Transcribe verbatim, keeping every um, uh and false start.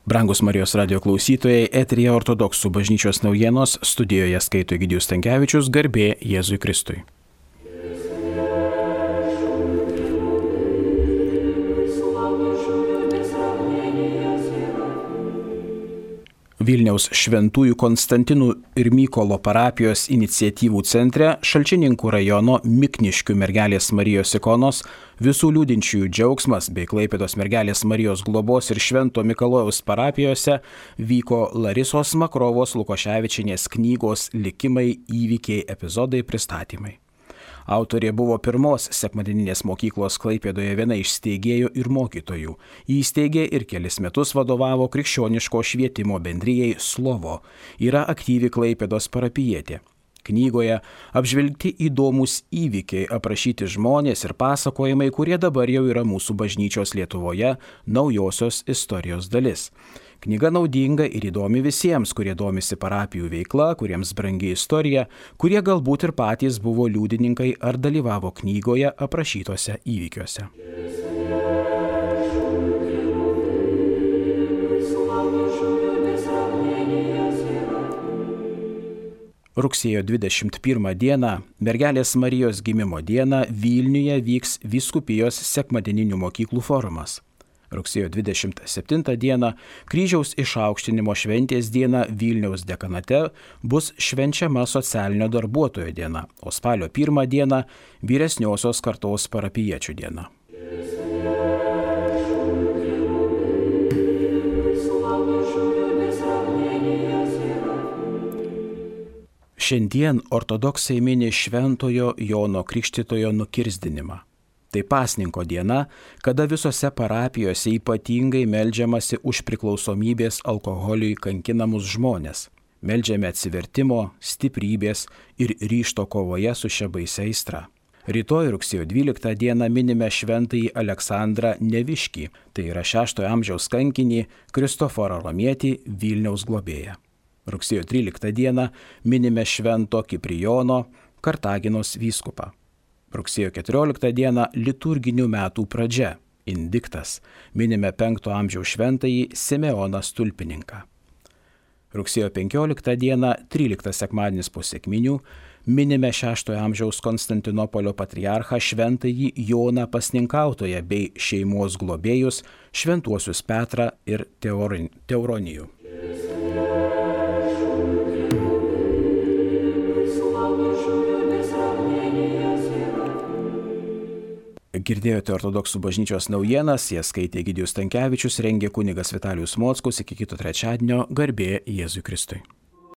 Brangus Marijos radio klausytojai, eteryje ortodoksų bažnyčios naujienos, studijoje skaito Egidijus Stankevičius, garbė Jėzui Kristui. Vilniaus Šventųjų Konstantinų ir Mykolo parapijos iniciatyvų centre Šalčininkų rajono Mikniškių mergelės Marijos ikonos visų liūdinčiųjų džiaugsmas bei Klaipėdos mergelės Marijos globos ir Švento Mikalojaus parapijose vyko Larisos Makrovos Lukoševičienės knygos Likimai, įvykiai, epizodai pristatymai. Autorė buvo pirmos sekmadieninės mokyklos Klaipėdoje viena iš steigėjų ir mokytojų. Jį įsteigė ir kelis metus vadovavo krikščioniško švietimo bendrijai Slovo. Yra aktyvi Klaipėdos parapijietė. Knygoje apžvelgti įdomus įvykiai, aprašyti žmonės ir pasakojimai, kurie dabar jau yra mūsų bažnyčios Lietuvoje naujosios istorijos dalis. Knyga naudinga ir įdomi visiems, kurie domisi parapijų veikla, kuriems brangi istorija, kurie galbūt ir patys buvo liudininkai ar dalyvavo knygoje aprašytose įvykiuose. Rugsėjo dvidešimt pirmą dieną, mergelės Marijos gimimo dieną, Vilniuje vyks vyskupijos sekmadieninių mokyklų forumas. Rugsėjo dvidešimt septintą dieną, kryžiaus išaukštinimo šventės diena Vilniaus dekanate bus švenčiama socialinio darbuotojo diena, o spalio pirmą dieną vyresniosios kartos parapijiečių diena. Šiandien ortodoksai mini Šventojo Jono Krikštytojo nukirsdinimą. Tai pasninko diena, kada visose parapijose ypatingai meldžiamasi už priklausomybės alkoholiui kankinamus žmonės. Meldžiame atsivertimo, stiprybės ir ryžto kovoje su šia baisia aistra. Rytoj rugsėjo dvyliktą dieną minime šventąjį Aleksandrą Neviškį, tai yra šeštojo amžiaus kankinį Kristoforą Romietį, Vilniaus globėją. Rugsėjo tryliktą dieną minime švento Kiprijono, Kartaginos vyskupą. Rugsėjo keturioliktą dieną liturginių metų pradžia, indiktas, minime penkto amžiaus šventąjį Simeoną Stulpininką. Rugsėjo penkioliktą dieną, tryliktas sekmadienis po sekminių, minime šeštojo amžiaus Konstantinopolio patriarchą šventąjį Joną Pasninkautoją bei šeimos globėjus šventuosius Petrą ir Teuronijų. Girdėjote ortodoksų bažnyčios naujienas, jas skaitė Egidijus Stankevičius, rengė kunigas Vitalijus Mockus. Iki kito trečiadienio, garbė Jėzui Kristui.